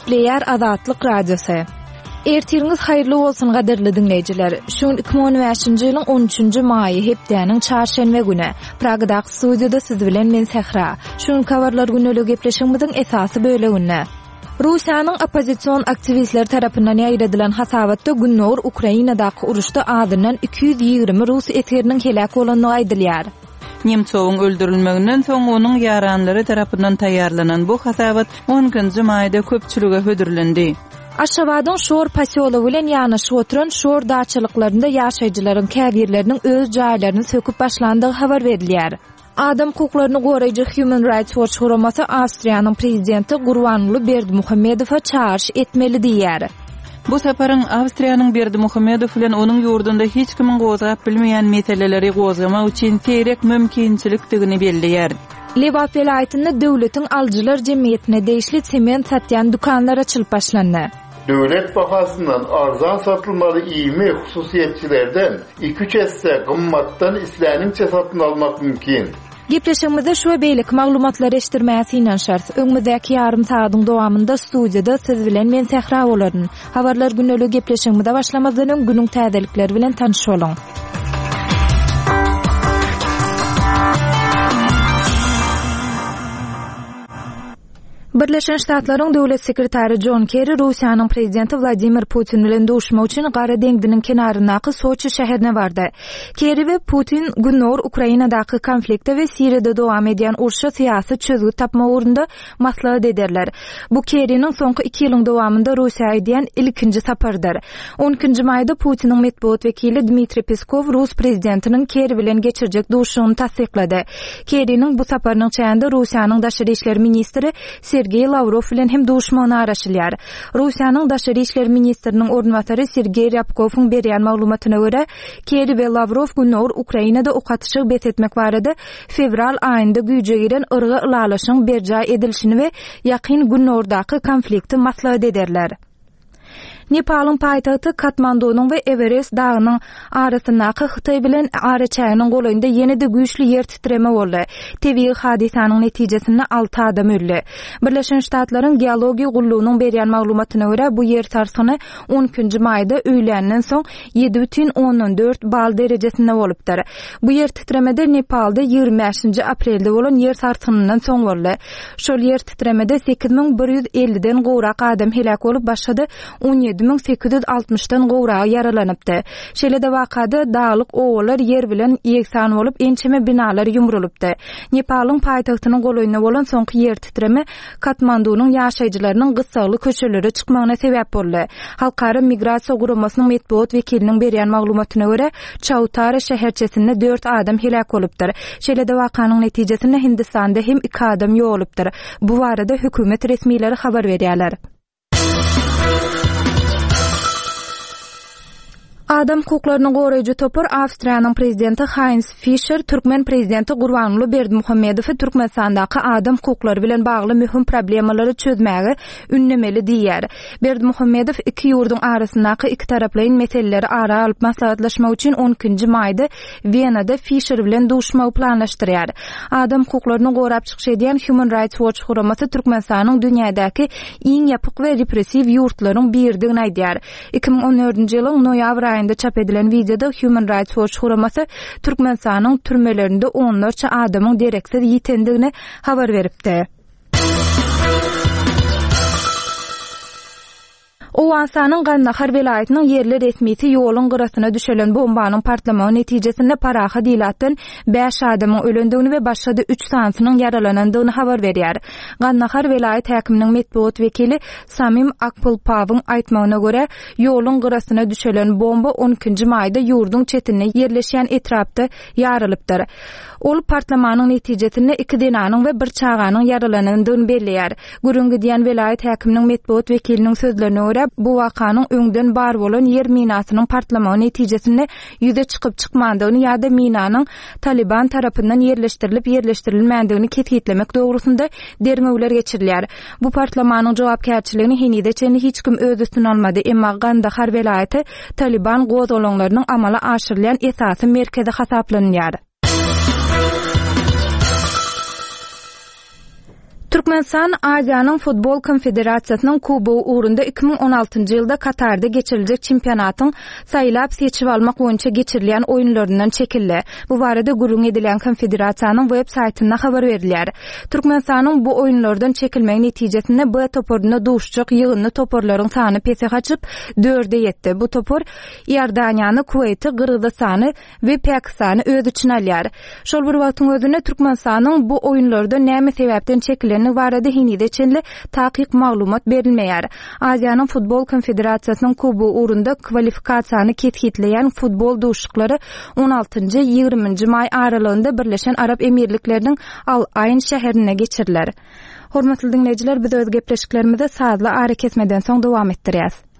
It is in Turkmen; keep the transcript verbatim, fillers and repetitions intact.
Gepleýär Azatlyk Radiosy. Ertiriňiz haýyrly bolsun gadyrly diňleýjiler. Şu gün iki müň on bäşinji ýylyň on üçünji maýy hepdäniň çarşenbe güni. Pragadaky studiýada siz bilen men Sähra. Şu gün habarlar günlük gepleşigimiziň esasy böleginde. Russiýanyň oppozision aktiwistler tarapyndan ýaýradylan hasabatda Gündogar Ukrainadaky uruşda azyndan iki ýüz ýigrimi rus esgeriniň heläk bolandygy aýdylýar. Nemtsowyň öldürilmeginden soň onuň ýaranlary tarapyndan taýýarlanan bu hasabat on ikinji maýda köpçülige hödürlendi. Aşgabadyň Şor posýology bilen ýanaşyp oturan Şor daçalyklarynda ýaşaýjylaryň käbirleriniň öz jaýlaryny söküp başlandygy habar berilýär. Adam hukuklaryny goraýjy Human Rights Watch guramasy Awstriýanyň prezidenti Gurbanguly Berdimuhamedowa çagyryş etmeli diýýär. Bu saparyň Awstriýanyň Berdimuhamedow bilen onuň ýurdunda hiç kimiň gozgap bilmeýän meseleleri gozgamak üçin seýrek mümkinçilikdigini belleýär. Lebap welaýatynda döwletiň alyjylar jemgyýetine degişli sement satýan dükanlar açylyp başlandy. Döwlet bahasyndan arzan satylmaly iými hususiýetçilerden iki üç esse gymmatdan isläniňçe satyn almak mümkin. Gepleşigimizde şu we beýleki maglumatlary eşitdirmäge synanyşarys. Öňümizdäki ýarym sagatyň dowamynda studiýada siz bilen men Sähra bolaryn. Habarlar günlük gepleşigimize başlamazdan öň günüň täzelikleri bilen tanyş boluň. Birleşen Ştatlaryň Döwlet sekretary John Kerry Russiýanyň prezidenti Wladimir Putin bilen duşmak üçin Gara deňziniň kenaryndaky Soçi şäherine bardy. Kerry we Putin Gündogar Ukrainadaky konflikte we Siriýada dowam edýän urşa syýasy çözgüt tapmak ugrunda maslahat ederler. Bu Kerry'niň soňky iki ýylyň dowamynda Russiýa edýän ilkinji sapardyr. on ikinji maýda Putiniň metbugat wekili Dmitriý Peskov Rus prezidentiniň Kerry bilen geçirjek duşuşygyny tassyklady. Kerry'niň bu saparynyň çäginde Russiýanyň daşary işler ministri Sergey Lavrov bilen hem duşmagyna araşylýar. Russiýanyň daşary işler ministriniň orunbasary Sergey Ryabkowyň berýän maglumatyna görä, Kerry we Lavrov Gündogar Ukrainada ok atyşygy bes etmek barada fewral aýynda güýje giren yrgy ylalaşyň berjaý edilişini we ýakyn Gündogardaky konflikti maslahat ederler. Nepalyň paýtagty Katmandunyň we Everest dagynyň arasyndaky Hytaý bilen araçäginiň golaýynda ýene-de güýçli ýer titreme boldy. Tebigy hadysanyň netijesinde alty adam öldi. Birleşen Ştatlaryň geologiýa gullugynyň berýän maglumatyna görä, bu ýer sarsgyny on ikinji maýda öýländen soň ýedi bütin ondan dört bal derejesinde bolupdyr. Bu ýer titremede Nepalda ýigrimi bäşinji aprelde bolan ýer sarsgynyndan soň boldy. Şol ýer titremede sekiz müň bir ýüz elliden gowrak adam heläk bolup, başga-da on ýedi müň sekiz ýüz altmyşdan gowragy ýaralanypdy. Şeýle-de wakada daglyk owalar ýer bilen ýegsan bolup, ençeme binalar ýumrulypdy. Nepalyň paýtagtynyň golaýynda bolan soňky ýer titreme Katmandunyň ýaşaýjylarynyň gyssagly köçelere çykmagyna sebäp boldy. Halkara migrasiýa guramasynyň metbugat wekiliniň berýän maglumatyna görä, Çautara şäherçesinde dört adam heläk bolupdyr. Şeýle-de wakanyň netijesinde Hindistanda hem iki adam ýogalypdyr. Bu barada hökümet resmileri habar berýärler. Adam hukuklaryny goraýjy topar Awstriýanyň prezidenti Heinz Fischer türkmen prezidenti Gurbanguly Berdimuhamedowy Türkmenistandaky adam hukuklary bilen bagly möhüm problemalary çözmäge ünlemeli diýýär. Berdimuhamedow iki ýurduň arasyndaky iki taraplaýyn meseleleri ara alyp maslahatlaşmak üçin on ikinji maýda Wenada Fischer bilen duşmagy planlaşdyrýar. Adam hukuklaryny gorap çykyş edýän Human Rights Watch guramasy Türkmenistanyň dünýädäki iň ýapyk we repressiw ýurtlaryň biridigini aýdýar. Iki müň on dördünji ýylyň noýabr aýynda çap edilen wideoda Human Rights Watch guramasy Türkmenistanyň türmelerinde onlarça adamyň dereksiz ýitendigini habar beripdi. Owganystanyň Gandahar welaýatynyň ýerli resmisi ýoluň gyrasyna düşelen bombanyň partlamagy netijesinde parahat ilatdan bäş adamyň ölendigini we başga-da üç sanysynyň ýaralanandygyny habar berýär. Gandahar welaýat häkiminiň metbugat wekili Samim Akpulpawyň aýtmagyna görä, ýoluň gyrasyna düşelen bomba on ikinji maýda ýurduň çetinde ýerleşýän etrapda ýarylypdyr. Ol partlamanyň netijesinde iki zenanyň we bir çaganyň ýaralanandygyny belleýär. Gürrüň gidýän welaýat häkiminiň metbugat wekiliniň sözlerine görä, bu wakanyň öňden bar bolan ýer minasynyň partlamagy netijesinde ýüze çykyp çykmandygyny ýa-da minanyň Taliban tarapyndan ýerleşdirilip ýerleşdirilmändigini kesgitlemek dogrusynda derňewler geçirilýär. Bu partlamanyň jogapkärçiligini henize çenli hiç kim öz üstüne almady, emma Gandahar welaýaty Taliban gozgalaňlarynyň amala aşyrylýan esasy merkezi hasaplanýar. Türkmenistan Aziýanyň Futbol Konfederasiýasynyň Kubogy ugrunda iki müň on altynjy ýylda Katarda geçiriljek çempionatyň saýlap-seçip almak boýunça geçirilýän oýunlaryndan çekildi. Bu barada gürrüň edilýän konfederasiýanyň web saýtynda habar berilýär. Türkmenistanyň bu oýunlardan çekilmegi netijesinde B toparynda duşuşjak ýygyndy toparlaryň sany pese gaçyp, dörde ýetdi. Bu topar Iordaniýany, Kuweýti, Gyrgyzystany we Pakistany öz içine alýar. Şol bir wagtyň özünde Türkmenistanyň bu oýunlardan näme sebäpden çekilendigi barada henize çenli takyk maglumat berilmeýär. Aziýanyň Futbol Konfederasiýasynyň Kubogy ugrunda kwalifikasiýany kesgitleýän futbol duşuşyklary on altynjy, ýigriminji maý aralygynda Birleşen Arap Emirlikleriniň Al-Aýn şäherinde geçiriler. Hormatly diňleýjiler, biz öz gepleşiklerimizi sazly arakesmeden soň dowam etdirýäs.